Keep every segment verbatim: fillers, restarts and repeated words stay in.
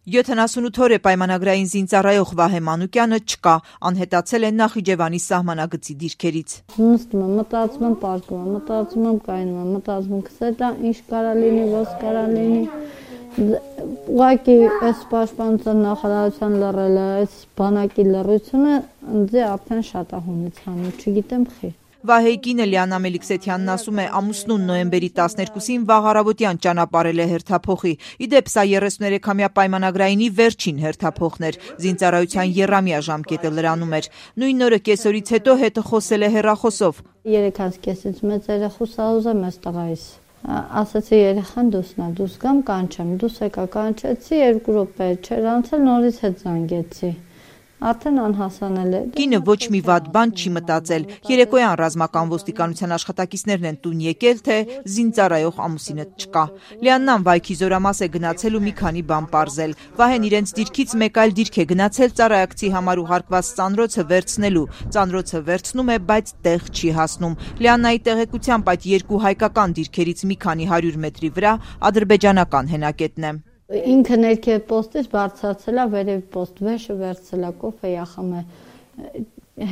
յոթանասունութ օր է պայմանագրային զինծառայող Վահե Մանուկյանը չկա, անհետացել է Նախիջևանի սահմանագծի դիրքերից։ Նստում եմ, մտածում եմ, պարկում եմ, մտածում եմ, կայնում եմ, մտածում եմ, կսետա, ինչ կարա լինի, ոնց կարա լինի։ Ուղղակի այս պաշտպանության նախարարության լռելը, այս բանակի լռությունը ինձ արդեն շատ է հունից հանում, չգիտեմ խի։ Վահեի կինը Լիանա Մելիքսեթյանն ասում է, ամուսնուն նոյեմբերի տասներկուսին վաղ առավոտյան ճանապարհել է հերթափոխի։ Իդեպ սա երեսուներեքամյա պայմանագրայինի վերջին հերթափոխն էր, զինծառայության եռամյա ժամկետը լրանում էր։ Նույն օրը կեսօրից հետո հետը խոսել է հեռախոսով։ Երեքանց կեսից մեծ երեխուս ուզեմ ես տղայիս։ Ասացի երեխան դուսնա, դուս գամ կանչեմ, դուս եկա կանչեցի, երկու րոպե չէր անցել, նորից հետ զանգեցի։ Արդեն անհասանել է։ Կինը ոչ մի վատ բան չի մտածել։ Երեկոյան ռազմական ոստիկանության աշխատակիցներն են տուն եկել, թե զինծառայող ամուսինը չկա։ Լիաննան վայքի զորամաս է գնացել ու մի քանի բան պարզել։ Վահեն իրենց դիրքից մեկ այլ դիրք է գնացել ծառայակցի համար ուղարկված ծանրոցը վերցնելու։ Ծանրոցը վերցնում է, բայց տեղ չի հասնում։ Լիաննայի տեղեկությամբ այդ երկու հայկական դիրքերից մի քանի հարյուր մետրի վրա ադրբեջանական հենակետն է։ Ինքը ներքև պոստից բարձրացել է վերև պոստ, վեշը վերցել է, կոֆե ախում է,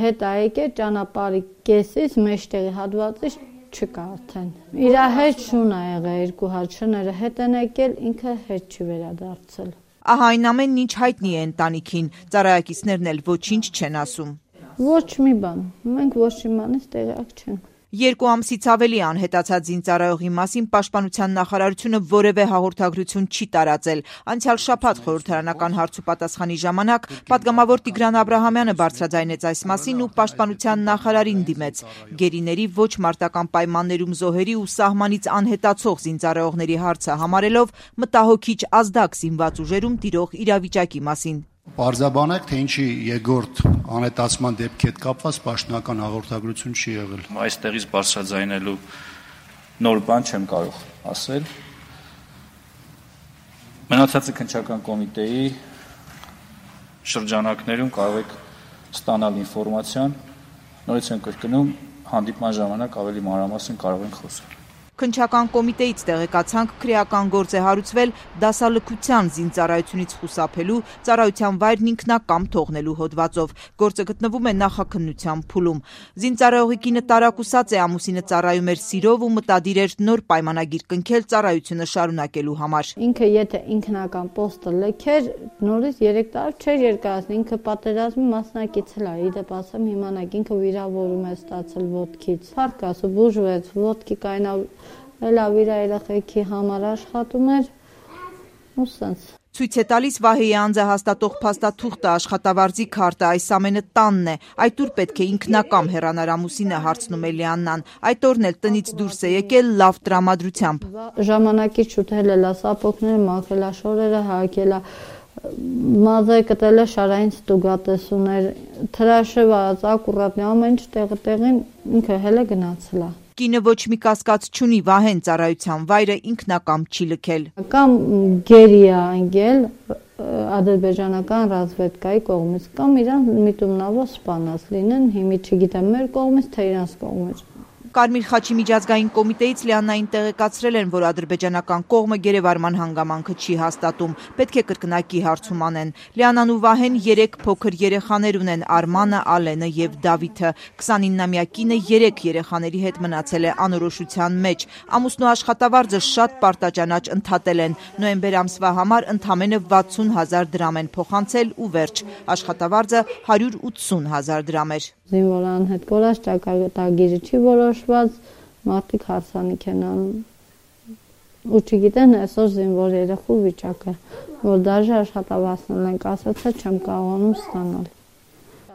հետ է եկել ճանապարհի կեսից, մեջտեղի հատվածից չկա արդեն։ Իր հետ շուն է եղել երկու հատ շները հետ են եկել, ինքը հետ չի վերադարձել։ Ահա այն ամենն ինչ հայտնի է ընտանիքին, ծառայակիցներն էլ ոչինչ չեն ասում։ Ոչ մի բան, մենք ոչ մի բանից տեղյակ չենք։ Երկու ամսից ավելի անհետացած զինծառայողի մասին պաշտպանության նախարարությունը որևէ հաղորդագրություն չի տարածել։ Անցյալ շաբաթ խորհրդարանական հարցուպատասխանի ժամանակ պատգամավոր Տիգրան Աբրահամյանը բարձրաձայնեց այս մասին ու պաշտպանության նախարարին դիմեց։ Գերիների ոչ մարտական պայմաններում զոհերի ու սահմանից անհետացող զինծառայողների հարցը համարելով մտահոգիչ ազդակ զինված ուժերում տիրող իրավիճակի մասին։ Պարզաբանեք, թե ինչի երկրորդ անհետացման դեպքի հետ կապված պաշտոնական հաղորդագրություն չի եղել։ Այստեղից բարձրաձայնելու նոր բան չեմ կարող ասել։ Մնացածը քննչական կոմիտեի շրջանակներում կարող եք ստանալ ինֆորմացիան, նորից եմ կրկնում, հանդիպման ժամանակ ավելի մանրամասն կարող ենք խոսել։ Քննչական կոմիտեից տեղեկացանք քրեական գործ է հարուցվել դասալքության զինծառայությունից խուսափելու, ծառայության վայրն ինքնակամ թողնելու հոդվածով։ Գործը գտնվում է նախաքննության փուլում։ Զինծառայողի կինը տարակուսած է, ամուսինը ծառայում էր սիրով ու մտադիր էր նոր պայմանագիր կնքել ծառայությունը շարունակելու համար։ Ինքը եթե ինքնական պոստը լքեր, նորից երեք տարի չէր երկարացնի, ինքը պատերազմի մասնակից է, իդեպ ասեմ իմանաք, ինքը վիրավորում է ստացել ոտքից։ Փառք ասու բուժվեց, ոտքի կայնավ Էլավ իր երեխեքի համար աշխատում էր ու սենց։ Ցույց է տալիս Վահեի անձը հաստատող փաստաթուղթը, աշխատավարձի քարտը, այս ամենը տանն է։ Այդ ուր պետք է ինքնակամ հեռանար ամուսինը, հարցնում է Լիաննան։ Այդ օրն էլ տնից դուրս է եկել լավ տրամադրությամբ։ Ժամանակից շուտել է սապոկները, մաքրել է շորերը, հագել է մազը կտել է շարային ստուգատեսուներ, թրաշը վարած ակուրատնի ամեն ինչ տեղը տեղին ինքը հել է գնացել է։ Կինը ոչ մի կասկած չունի, Վահեն ծառայության վայրը ինքնակամ չի լքել։ Կամ գերի է անգել ադրբեջանական ռազմավարի կողմից, կամ իրան միտումնավոր սպանած լինեն, հիմի չգիտեմ մեր կողմից, թե իրանց կողմից։ Կարմիր խաչի միջազգային կոմիտեից Լիաննային տեղեկացրել են, որ ադրբեջանական կողմը գերեվարման հանգամանքը չի հաստատում, պետք է կրկնակի հարցում անեն։ Լիաննան ու Վահեն երեք փոքր երեխաներ ունեն՝ Արմանը, Ալենը եւ Դավիթը։ քսանիննամյա կինը երեք երեխաների հետ մնացել է անորոշության մեջ։ Ամուսնու աշխատավարձը շատ պարտաճանաչ ընդհատել են։ Նոյեմբեր ամսվա համար ընդամենը վաթսուն հազար դրամ են փոխանցել ու վերջ։ Աշխատավարձը հարյուր ութսուն հազար դրամ էր։ Զինվորան հետ կորած ճակատագիրը չի որոշված, մարդիկ հարսանիք են անում։ Ու չգիտեն այսօր զինվոր երեխու վիճակը, որ դաժե աշխատավարձն ենք ասացել, չեմ կարողանում ստանալ։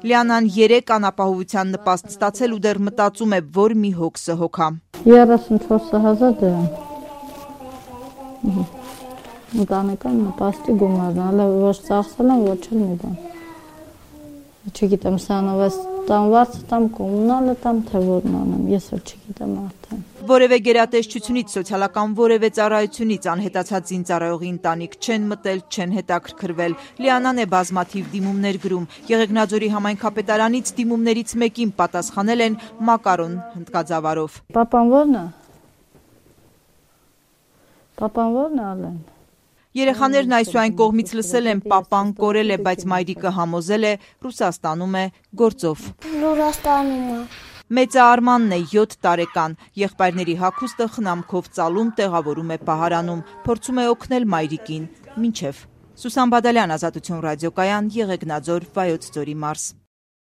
Լիաննան երեք անապահովության նպաստ ստացել ու դեռ մտածում է, որ մի հոգսը հոգա։ երեսունչորս հազար դրամ։ Ընտանեկան նպաստի գումարն, հələ ոչ ծախսել եմ, ոչ էլ մի բան։ Չգիտեմ, սանով ես տամ վարձը, տամ կոմունալը, տամ թե որն անեմ, ես էլ չգիտեմ արդեն։ Որևէ գերատեսչությունից, սոցիալական որևէ ծառայությունից անհետացած զինծառայողի ընտանիք չեն մտել, չեն հետաքրքրվել։ Լիաննան է բազմաթիվ դիմումներ գրում։ Եղեգնաձորի համայնքապետարանից դիմումներից մեկին պատասխանել են մակարոն հնդկաձավարով։ Պապան ո՞րն է։ Պապան ո՞րն է Ալեն։ Երեխաներն այսուայն կողմից լսել են պապան կորել է, բայց մայրիկը համոզել է Ռուսաստանում է գործով։ Ռուսաստանում է։ Մեծը Արմանն է յոթ տարեկան, եղբայրների հագուստը խնամքով ծալում տեղավորում է պահարանում, փորձում է օգնել մայրիկին, մինչև։ Սուսան Բադալյան, Ազատություն ռադիոկայան, Եղեգնաձոր, Վայոց ձորի մարզ։